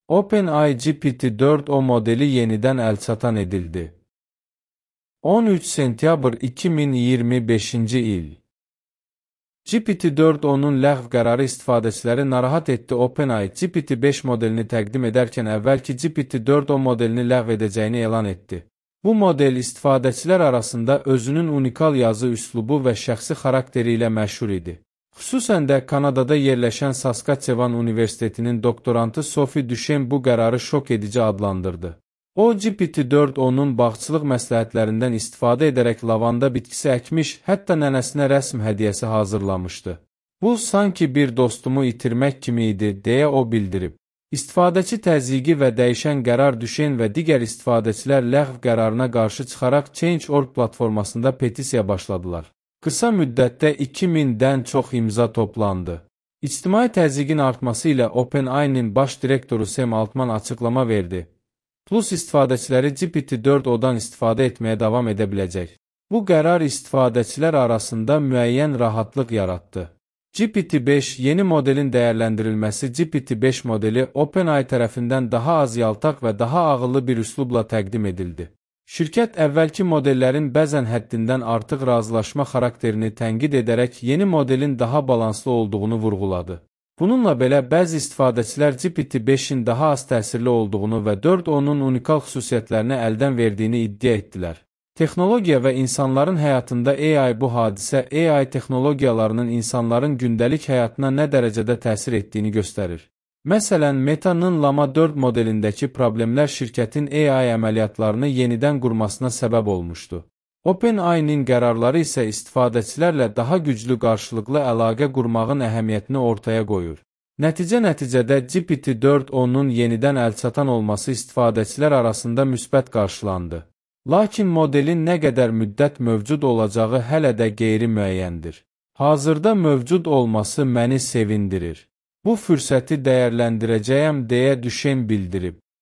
OpenAI GPT-4o modeli yenidən əlçatan edildi. 13 sentyabr 2025-ci il. GPT-4o'nun ləğv qərarı istifadəçiləri narahat etdi. OpenAI GPT-5 modelini təqdim edərkən əvvəlki GPT-4o modelini ləğv edəcəyini elan etdi. Bu model istifadəçilər arasında özünün unikal yazı üslubu və şəxsi xarakteri ilə məşhur idi. Xüsusən də Kanadada yerləşən Saskatchewan Universitetinin doktorantı Sophie Duchesne bu qərarı şok edici adlandırdı. O, GPT-4o'nun bağçılıq məsləhətlərindən istifadə edərək lavanda bitkisi əkmiş, hətta nənəsinə rəsm hədiyyəsi hazırlamışdı. Bu, sanki bir dostumu itirmək kimi idi, deyə o bildirib. İstifadəçi təzyiqi və dəyişən qərar Duchesne və digər istifadəçilər ləğv qərarına qarşı çıxaraq Change.org platformasında petisiya başladılar. Qısa müddətdə 2000-dən çox imza toplandı. İctimai təzyiqin artması ilə OpenAI-nin baş direktoru Sam Altman açıqlama verdi. Plus istifadəçiləri GPT-4o'dan istifadə etməyə davam edə biləcək. Bu qərar istifadəçilər arasında müəyyən rahatlıq yaratdı. GPT-5 yeni modelin dəyərləndirilməsi GPT-5 modeli OpenAI tərəfindən daha az yaltaq və daha ağıllı bir üslubla təqdim edildi. Şirkət əvvəlki modellərin bəzən həddindən artıq razılaşma xarakterini tənqid edərək yeni modelin daha balanslı olduğunu vurğuladı. Bununla belə bəzi istifadəçilər GPT-5-in daha az təsirli olduğunu və 4o'nun unikal xüsusiyyətlərini əldən verdiyini iddia etdilər. Texnologiya və insanların həyatında AI bu hadisə AI texnologiyalarının insanların gündəlik həyatına nə dərəcədə təsir etdiyini göstərir. Məsələn, Meta'nın Llama 4 modelindəki problemlər şirkətin AI əməliyyatlarını yenidən qurmasına səbəb olmuşdu. OpenAI-nin qərarları isə istifadəçilərlə daha güclü qarşılıqlı əlaqə qurmağın əhəmiyyətini ortaya qoyur. Nəticədə GPT-4o'nun yenidən əlçatan olması istifadəçilər arasında müsbət qarşılandı. Lakin modelin nə qədər müddət mövcud olacağı hələ də qeyri-müəyyəndir. Hazırda mövcud olması məni sevindirir. Bu fürsəti dəyərləndirəcəyəm deyə Duchesne bildirib.